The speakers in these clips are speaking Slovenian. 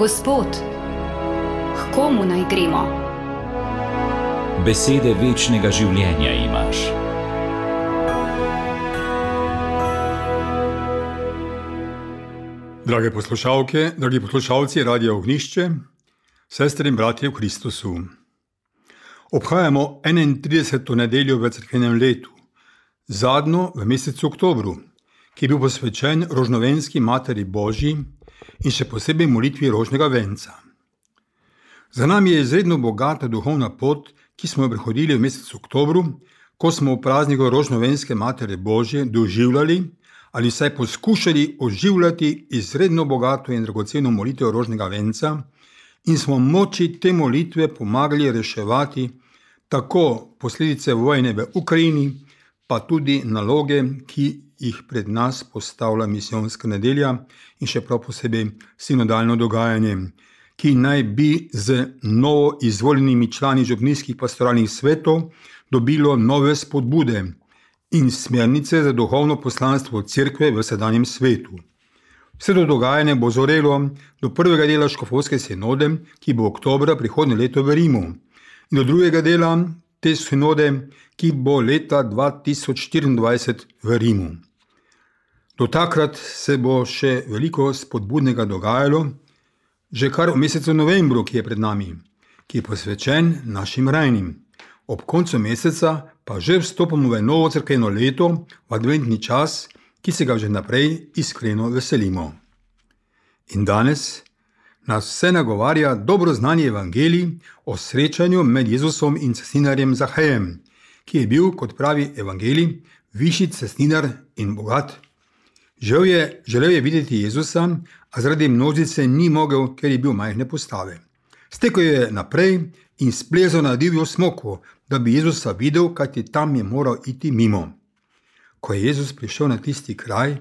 Gospod, k komu naj gremo? Besede večnega življenja imaš. Drage poslušalke, dragi poslušalci Radia Ognjišče, sestre in bratje v Kristusu. Obhajamo 31. nedeljo v cerkvenem letu, zadnjo v mesecu oktobru, ki je bil posvečen rožnovenski Materi Božji in še posebej molitvi rožnega venca. Za nami je izredno bogata duhovna pot, ki smo jo prehodili v mesecu oktobru, ko smo v prazniku rožnovenske Matere Božje doživljali ali vsaj poskušali oživljati izredno bogato in dragoceno molitev rožnega venca in smo moči te molitve pomagali reševati tako posledice vojne v Ukrajini, pa tudi naloge, ki jih pred nas postavlja misijonska nedelja in še prav posebej sinodalno dogajanje, ki naj bi z novo izvoljenimi člani župnijskih pastoralnih svetov dobilo nove spodbude in smernice za duhovno poslanstvo cerkve v sedanjem svetu. Vse to dogajanje bo zorelo do prvega dela škofovske sinode, ki bo oktobra prihodnje leto v Rimu, in do drugega dela te sinode, ki bo leta 2024 v Rimu. Do takrat se bo še veliko spodbudnega dogajalo, že kar v mesecu novembru, ki je pred nami, ki je posvečen našim rajnim. Ob koncu meseca pa že vstopamo v novo cerkveno leto, v adventni čas, ki se ga že naprej iskreno veselimo. In danes nas vse nagovarja dobro znani evangelij o srečanju med Jezusom in cestninarjem Zahejem, ki je bil, kot pravi evangelij, višji cestninar in bogat. Želel je videti Jezusa, a zaradi množice ni mogel, ker je bil majhne postave. Stekel je naprej in splezal na divjo smoko, da bi Jezusa videl, kajti tam je moral iti mimo. Ko je Jezus prišel na tisti kraj,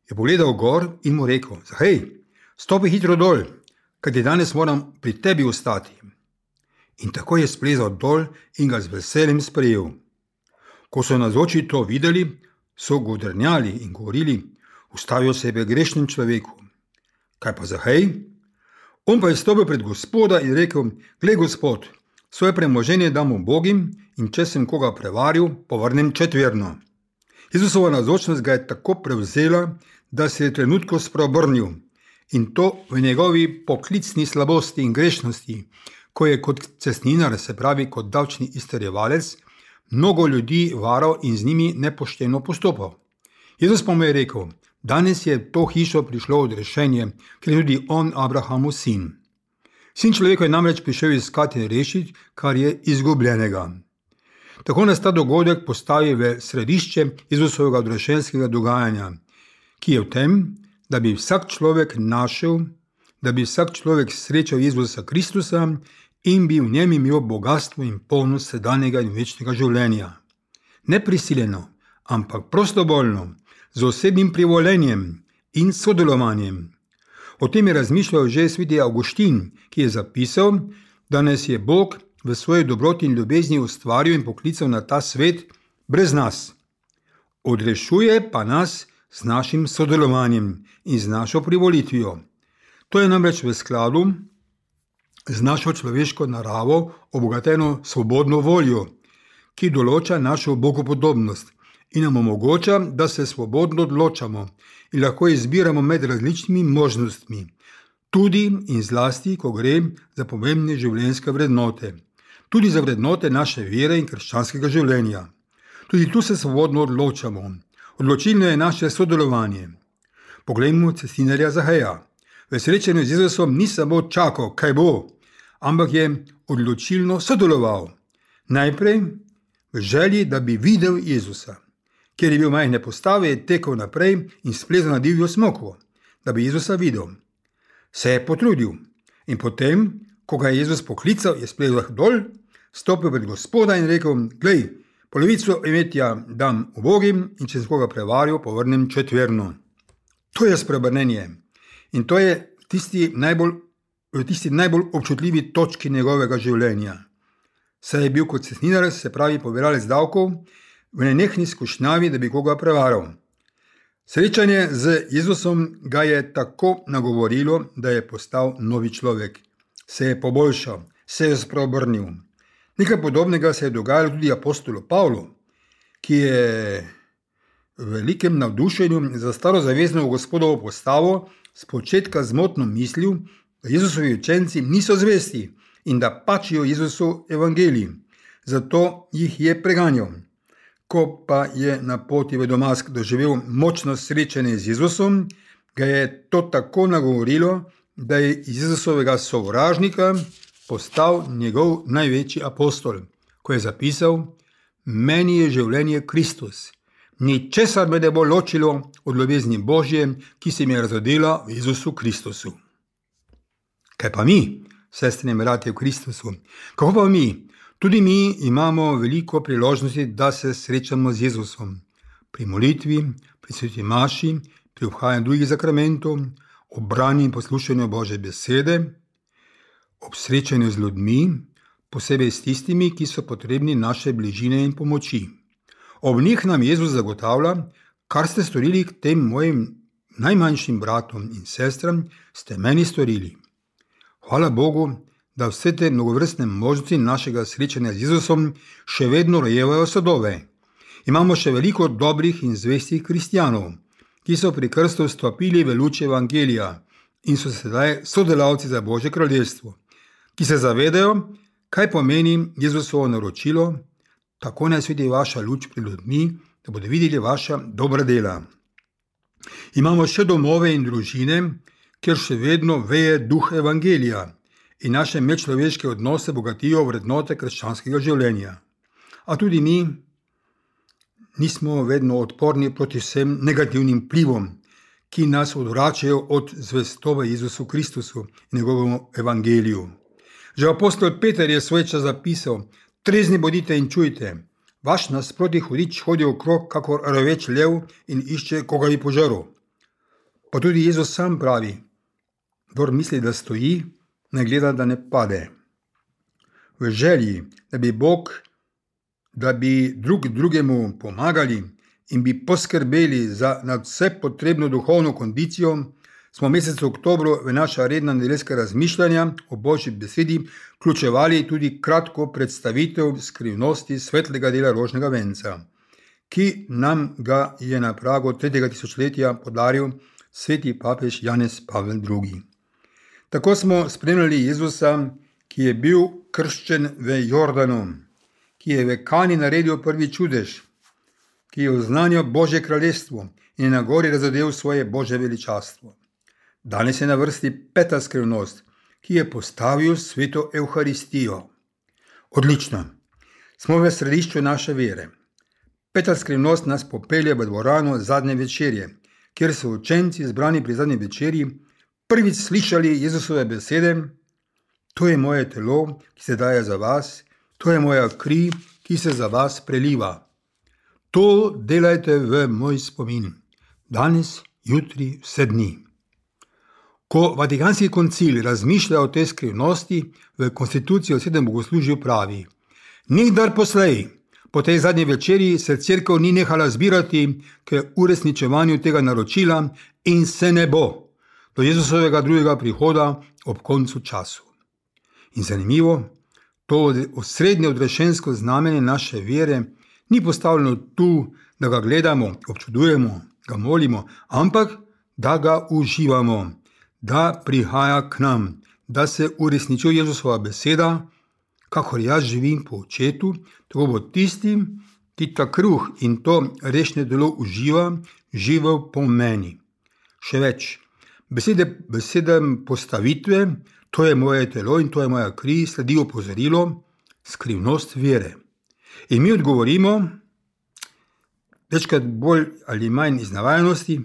je pogledal gor in mu rekel: Zahej, stopi hitro dol, kajti danes moram pri tebi ostati. In tako je splezal dol in ga z veseljem sprejel. Ko so navzoči to videli, so godrnjali in govorili: Ustavijo sebe grešnem človeku. Kaj pa Zahej? On pa je stopil pred Gospoda in rekel: Glej, Gospod, svoje premoženje dam ubogim in če sem koga prevaril, povrnem četverno. Jezusova navzočnost ga je tako prevzela, da se je trenutko spreobrnil, in to v njegovi poklicni slabosti in grešnosti, ko je kot cestninar, se pravi kot davčni izterjevalec, mnogo ljudi varal in z njimi nepošteno postopal. Jezus pa mu je rekel: Danes je to hišo prišlo odrešenje, ker je tudi on Abrahamov sin. Sin človeka je namreč prišel iskati in rešiti, kar je izgubljenega. Tako nas ta dogodek postavi v središče Jezusovega odrešenskega dogajanja, ki je v tem, da bi vsak človek srečal Jezusa Kristusa in bi v njem imel bogatstvo in polnost sedanjega in večnega življenja. Ne prisiljeno, ampak prostovoljno, z osebnim privolenjem in sodelovanjem. O tem je razmišljal že sveti Avguštin, ki je zapisal, da nas je Bog v svoji dobroti in ljubezni ustvaril in poklical na ta svet brez nas. Odrešuje pa nas z našim sodelovanjem in z našo privolitvijo. To je namreč v skladu z našo človeško naravo, obogateno svobodno voljo, ki določa našo bogopodobnost in nam omogoča, da se svobodno odločamo in lahko izbiramo med različnimi možnostmi, tudi in zlasti, ko gre za pomembne življenjske vrednote, tudi za vrednote naše vere in krščanskega življenja. Tudi tu se svobodno odločamo. Odločilno je naše sodelovanje. Poglejmo cestninarja Zaheja. V srečanju z Jezusom ni samo čakal, kaj bo, ampak je odločilno sodeloval. Najprej v želji, da bi videl Jezusa. Ker je bil majhne postave, je tekel naprej in splezal na divjo smoko, da bi Jezusa videl. Se je potrudil in potem, ko ga je Jezus poklical, je splezal dol, stopil pred Gospoda in rekel: Glej, polovico imetja dam ubogim in če sem koga prevaril, povrnem četverno. To je spreobrnenje in to je tisti najbolj občutljivi točki njegovega življenja. Saj je bil kot cestninar, se pravi pobiralec davkov, v nenehni skušnjavi, da bi koga prevaral. Srečanje z Jezusom ga je tako nagovorilo, da je postal novi človek. Se je poboljšal, se je spreobrnil. Nekaj podobnega se je dogajalo tudi apostolu Pavlu, ki je v velikem navdušenju za starozavezno Gospodovo postavo spočetka zmotno mislil, da Jezusovi učenci niso zvesti in da pačijo Jezusu evangelij. Zato jih je preganjal. Ko pa je na poti v Damask doživel močno srečanje z Jezusom, ga je to tako nagovorilo, da je iz Jezusovega sovražnika postal njegov največji apostol, ko je zapisal: meni je življenje Kristus, ničesar me ne bo ločilo od ljubezni Božje, ki se mi je razodela v Jezusu Kristusu. Kaj pa mi, sestre in bratje v Kristusu? Kako pa mi? Tudi mi imamo veliko priložnosti, da se srečamo z Jezusom. Pri molitvi, pri sveti maši, pri obhajanju drugih zakramentov, ob branju in poslušanju Božje besede, ob srečanju z ljudmi, posebej s tistimi, ki so potrebni naše bližine in pomoči. Ob njih nam Jezus zagotavlja: kar ste storili k tem mojim najmanjšim bratom in sestram, ste meni storili. Hvala Bogu, da vse te mnogovrstne možnosti našega srečanja z Jezusom še vedno rojevajo sadove. Imamo še veliko dobrih in zvestih kristjanov, ki so pri krstu vstopili v luč evangelija in so sedaj sodelavci za Božje kraljestvo, ki se zavedajo, kaj pomeni Jezusovo naročilo: tako naj sveti vaša luč pred ljudmi, da bodo videli vaša dobra dela. Imamo še domove in družine, kjer še vedno veje duh evangelija in naše medčloveške odnose bogatijo vrednote krščanskega življenja. A tudi mi nismo vedno odporni proti vsem negativnim vplivom, ki nas odvračajo od zvestobe Jezusu Kristusu in njegovemu evangeliju. Že apostol Peter je svoj čas zapisal: trezni bodite in čujte, vaš nasproti hudič hodi okrog kakor reveč lev in išče, koga bi požrl. Pa tudi Jezus sam pravi: kdor misli, da stoji, ne gleda, da ne pade. V želji, da bi drug drugemu pomagali in bi poskrbeli za nadvse potrebno duhovno kondicijo, smo v mesecu oktobru v naša redna nedeljska razmišljanja o Božji besedi vključevali tudi kratko predstavitev skrivnosti svetlega dela rožnega venca, ki nam ga je na pragu 3. tisočletja podaril sveti papež Janez Pavel II. Tako smo spremljali Jezusa, ki je bil krščen v Jordanu, ki je v Kani naredil prvi čudež, ki je oznanil Božje kraljestvo in je na gori razodel svoje Božje veličastvo. Danes je na vrsti 5. skrivnost, ki je postavil sveto Evharistijo. Odlično, smo v središču naše vere. 5. skrivnost nas popelje v dvorano zadnje večerje, kjer so učenci zbrani pri zadnji večerji prvič slišali Jezusove besede: to je moje telo, ki se daje za vas, to je moja kri, ki se za vas preliva. To delajte v moj spomin, danes, jutri, vse dni. Ko Vatikanski koncil razmišlja o tej skrivnosti, v konstituciji o 7. bogoslužju pravi: nikdar poslej, po tej zadnji večerji se cerkev ni nehala zbirati k uresničevanju tega naročila in se ne bo do Jezusovega drugega prihoda ob koncu času. In zanimivo, to osrednje odrešensko znamenje naše vere ni postavljeno tu, da ga gledamo, občudujemo, ga molimo, ampak da ga uživamo, da prihaja k nam, da se uresničuje Jezusova beseda: kakor jaz živim po Očetu, tako bo tisti, ki ta kruh in to rešne telo uživa, živel po meni. Še več, besede postavitve, to je moje telo in to je moja kri, sledi opozorilo, skrivnost vere. In mi odgovorimo, večkrat bolj ali manj iz navajenosti: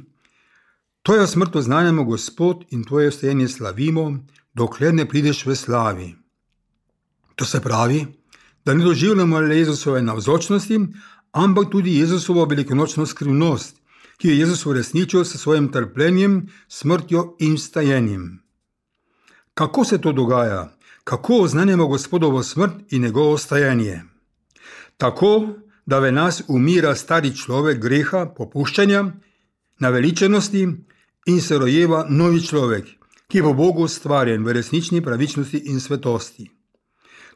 tvojo smrt oznanjamo, Gospod, in tvoje vstajenje slavimo, dokler ne prideš v slavi. To se pravi, da ne doživljamo le Jezusove navzočnosti, ampak tudi Jezusovo velikonočno skrivnost, ki je Jezus uresničil s svojim trpljenjem, smrtjo in vstajenjem. Kako se to dogaja? Kako oznanjamo Gospodovo smrt in njegovo vstajenje? Tako, da v nas umira stari človek greha, popuščanja, naveličenosti in se rojeva novi človek, ki je po Bogu stvarjen v resnični pravičnosti in svetosti.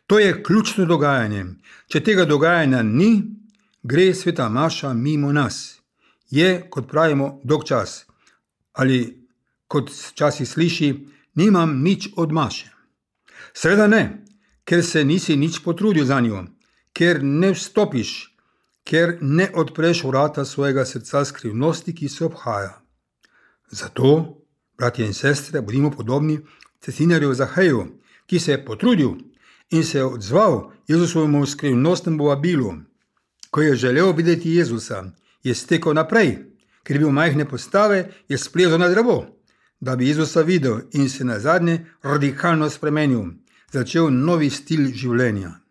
To je ključno dogajanje. Če tega dogajanja ni, gre sveta maša mimo nas. Je, kot pravimo, dolg čas. Ali, kot včasih sliši, nimam nič od maše. Seveda ne, ker se nisi nič potrudil za njo, ker ne vstopiš, ker ne odpreš vrata svojega srca skrivnosti, ki se obhaja. Zato, bratje in sestre, bodimo podobni cestinarju Zaheju, ki se je potrudil in se je odzval Jezusovemu skrivnostnemu vabilu. Ko je želel videti Jezusa, je stekel naprej, ker je bil majhne postave, je splezal na drevo, da bi Jezusa videl in se nazadnje radikalno spremenil, začel novi stil življenja.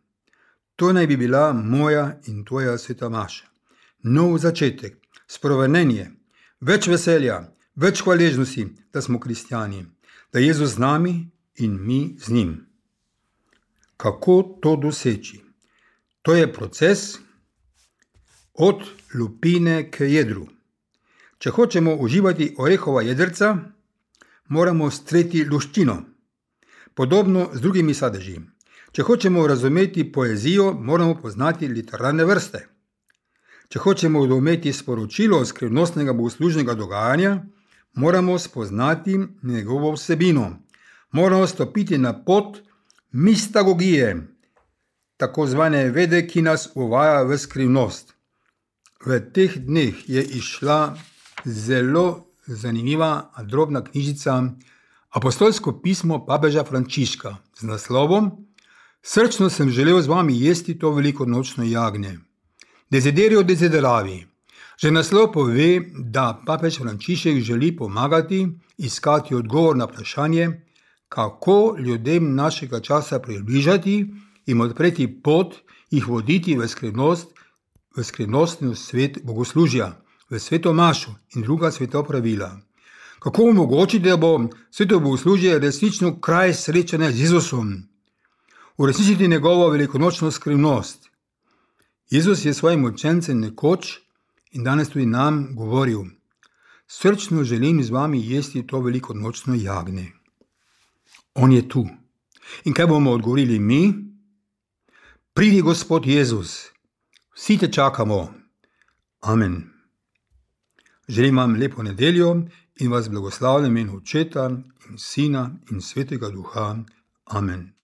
To naj bi bila moja in tvoja sveta maša. Nov začetek, sprovenenje, več veselja, več hvaležnosti, da smo kristjani, da je Jezus z nami in mi z njim. Kako to doseči? To je proces od lupine k jedru. Če hočemo uživati orehova jedrca, moramo streti luščino. Podobno z drugimi sadeži. Če hočemo razumeti poezijo, moramo poznati literarne vrste. Če hočemo razumeti sporočilo skrivnostnega bogoslužnega dogajanja, moramo spoznati njegovo vsebino. Moramo stopiti na pot mistagogije, tako zvane vede, ki nas uvaja v skrivnost. V teh dneh je izšla zelo zanimiva drobna knjižica Apostolsko pismo papeža Frančiška z naslovom Srčno sem želel z vami jesti to velikonočno jagnje. Desiderio desideravi. Že naslov pove, da papež Frančišek želi pomagati iskati odgovor na vprašanje, kako ljudem našega časa približati, jim odpreti pot, jih voditi v skrivnostni svet bogoslužja, v sveto mašo in druga sveta pravila. Kako omogočiti, da bo sveto bogoslužje resnično kraj srečanja z Jezusom, uresničiti njegovo velikonočno skrivnost. Jezus je svojim učencem nekoč in danes tudi nam govoril: srčno želim z vami jesti to velikonočno jagnje. On je tu. In kaj bomo odgovorili mi? Pridi, Gospod Jezus, vsi te čakamo. Amen. Želim vam lepo nedeljo in vas blagoslavljam v imenu Očeta in Sina in Svetega Duha. Amen.